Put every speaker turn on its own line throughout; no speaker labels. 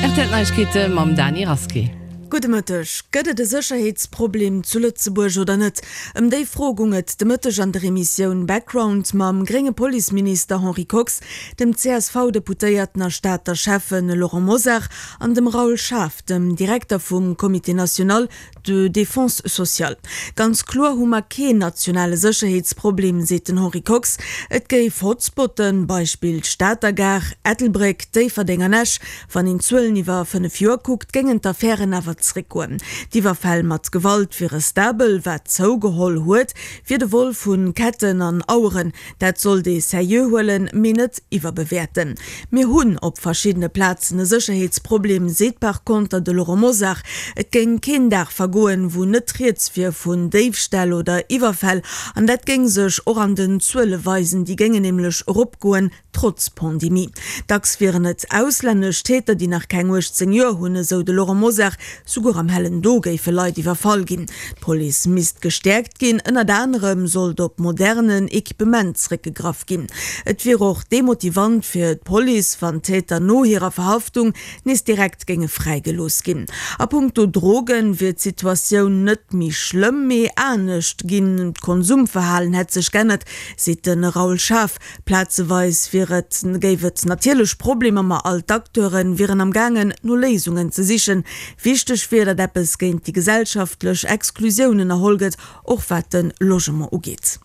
Rtl Neiegkeete mam Dany Rasqué.
Gudde Mëtteg. Gëtt et e Sécherheetsproblem zu Lëtzebuerg oder net? Ëm déi Fro gung et de Mëtteg an der Emissioun Background mam grénge Policeminister Henri Kox, dem CSV-Deputéierten a Stater Schäffe Laurent Mosar an dem Raoul Schaaf, dem Direkter vum Comité national de défense sociale. Ganz kloer hu mer keen nationale Sécherheetsproblem, seet den Henri Kox. Et géif Hotspotten, Beispill Stater Gare, Ettelbréck, Déifferdeng an Esch. Wann een d'Zuelen iwwer 5 Joer kuckt, géingen d'Affären awer zréckgoen. D'Iwwerfäll mat Gewalt wiere stabel. Wat zougeholl huet, wier de Vol vu Ketten an Aueren. Dat sollt ee seriö huelen, mee net iwwerbewäerten. Mir hunn op verschiddene Plazen e Sécherheetsproblem, seet par konter de Laurent Mosar. Et géing keen Dag vergoen, wou net rieds wier vun Déifställ oder Iwwerfäll. An dat géing sech och an den Zuele weisen, déi géingen nämlech eropgoen, trotz Pandemie. Dacks wieren et auslännesch Täter, déi nach keng 18 Joer hunn, esou de Laurent Mosar. Souguer am hellen Do géife Leit iwwerfall ginn. D'Police misst gestäerkt ginn, ënnert anerem sollt op modernen Equipement zeréckgegraff ginn. Et wier och demotivant fir d'Police, wann d'Täter no hirer Verhaftung nees direkt géinge fräigelooss ginn. A punkto Drogen wier d'Situatioun net méi schlëmm, mee anescht ginn. D'Konsumverhalen hätt sech g'ännert, seet de Raoul Schaaf. Plazeweis wier et, géif et natierlech Problemer, ma all d'Acteure wieren am gaangen, no Léisungen ze sichen. Wichteg wier, datt eppes géint déi gesellschaftlech Exklusioun ënnerholl gëtt, och wat de Logement ugeet.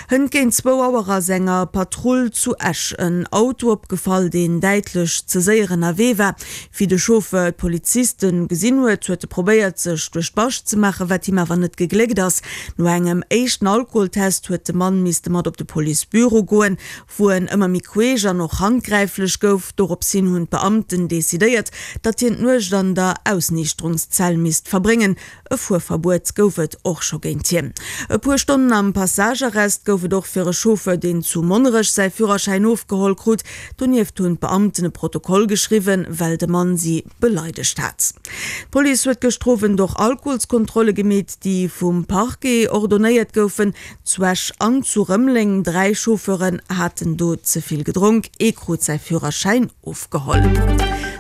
Hënt géint zwou Auer ass enger Patrull zu Esch en Auto opgefall, deen däitlech ze séier ënnerwee war. Wéi de Chauffeur d'Poliziste gesinn huet, huet e probéiert, sech duerch d'Bascht ze maachen, wat him awer net gegléckt ass. No engem éischten Alkoholtest huet de Mann misste mat op de Policebüro goen, wou en ëmmer méi queesch an och handgräiflech gouf. Dorops hin hunn d'Beamten decidéiert, datt hien d'Nuecht an der Ausniichterungszell misst verbréngen. E Fuerverbuet gouf et och scho géint hien. E puer Stonnen am Passagearrest gouf et och fir e Chauffeur, deen zu Monnerech säi Führerschäin ofgeholl krut. Donieft hunn d'Beamten e Protokoll geschriwwen, well de Mann si beleidegt hat. D'Police huet gëschter Owend och Alkoholskontrolle gemeet, déi vum Parquet ordonéiert goufen. Zu Esch an zu Rëmeleng. 3 Chauffeuren haten do ze vill gedronk, ee krut säi Führerschäin ofgeholl.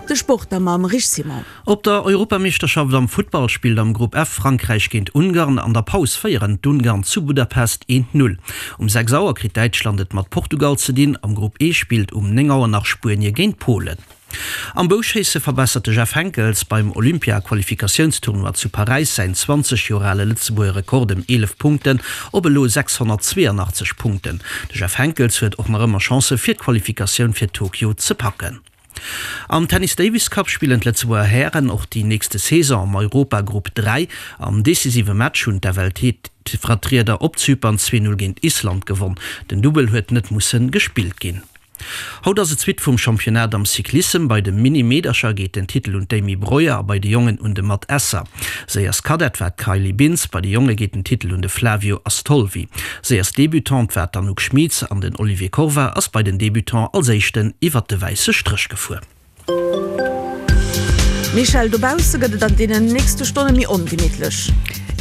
De Sport da mam Rich Simon.
Op der Europameeschterschaft am Futtball spillt am Grupp F Frankräich géint Ungarn. An der Paus féieren d'Ungarn zu Budapest 1, 0. Um 6 Auer kritt Däitschland et mat Portugal ze dinn. Am Grupp E spillt um 9 Auer nach Spuenie géint Polen. Am Bouschéisse verbessert de Jeff Henckels beim Olympia-Qualifikatiounstournoi zu Paräis säin 20 Joer ale Lëtzebuerger Rekord ëm 11 Punkten op elo 682 Punkten. De Jeff Henckels huet och nach ëmmer Chancë fir d'Qualifikatioun fir Tokio ze packen. Am Tennis Davis Cup spillen d'Lëtzebuerger Hären och déi nächste Saison am Europagrupp 3. Am decisive Match hunn d'FLT-Vertrieder op Zypern 2, 0 géint Island gewonn. Den Dubbel huet net musse gespillt ginn. Haut ass et d'Suite vum Championnat am Cyclissem. Bei de Mini-Meedercher geet den Titel un d'Amy Breuer a bei de Jongen un de Matt Esser. Séierst Kadett war d'Kylie Bintz, bei de Jonge geet den Titel un de Flavio Astolfi. Séierst Debutante war d'Anouk Schmitz an den Olivier Corva ass bei den Debutants als éischten iwwert de wäisse Stréch gefuer.
Michèle, dobausse gëtt et an deenen nächste Stonne méi ongemittlech.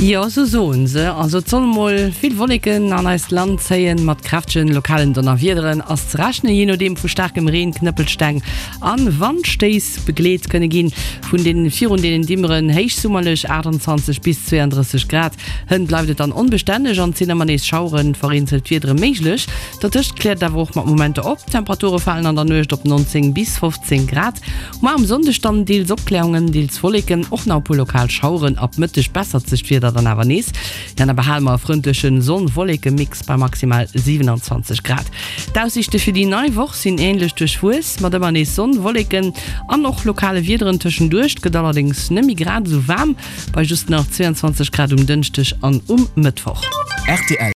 Jo, esou soen se. Also et solle mol vill Wolleken an eist Land zéien, mat kräftegen lokalen Donnerwiederen ass ze rechnen, jee nodeem vu staarkem Reen, Knëppelsteng an Wandstéiss begleet kënne ginn. Vun den virun deenen Dimmeren héichsummerlech 28 bis 32 Grad. Hënt bleift et dann onbestänneg an et sinn ëmmer nees Schaueren, vereenzelt Wiedere méiglech. Dertëscht kläert et awer och mat Momenter op. D'Temperature falen an der Nuecht op 19 bis 15 Grad. Muar um Sonndeg dann deels Opklärungen, deels Wolleken, och nach e puer lokal Schaueren. Ab Mëtteg bessert sech d'Wieder dann awer nees. Dann awer hale mer e frëndleche Sonn-Wolleke-Mix bei maximal 27 Grad. D'Aussiichte fir déi nei Woch sinn änlech duerchwuess, mat ëmmer nees Sonn, Wolleken an och lokale Wiederen tëschenduerch. Et gëtt allerdéngs net méi grad esou waarm. Bei just nach 22 Grad um Dënschdeg an um Mëttwoch.
Rtl.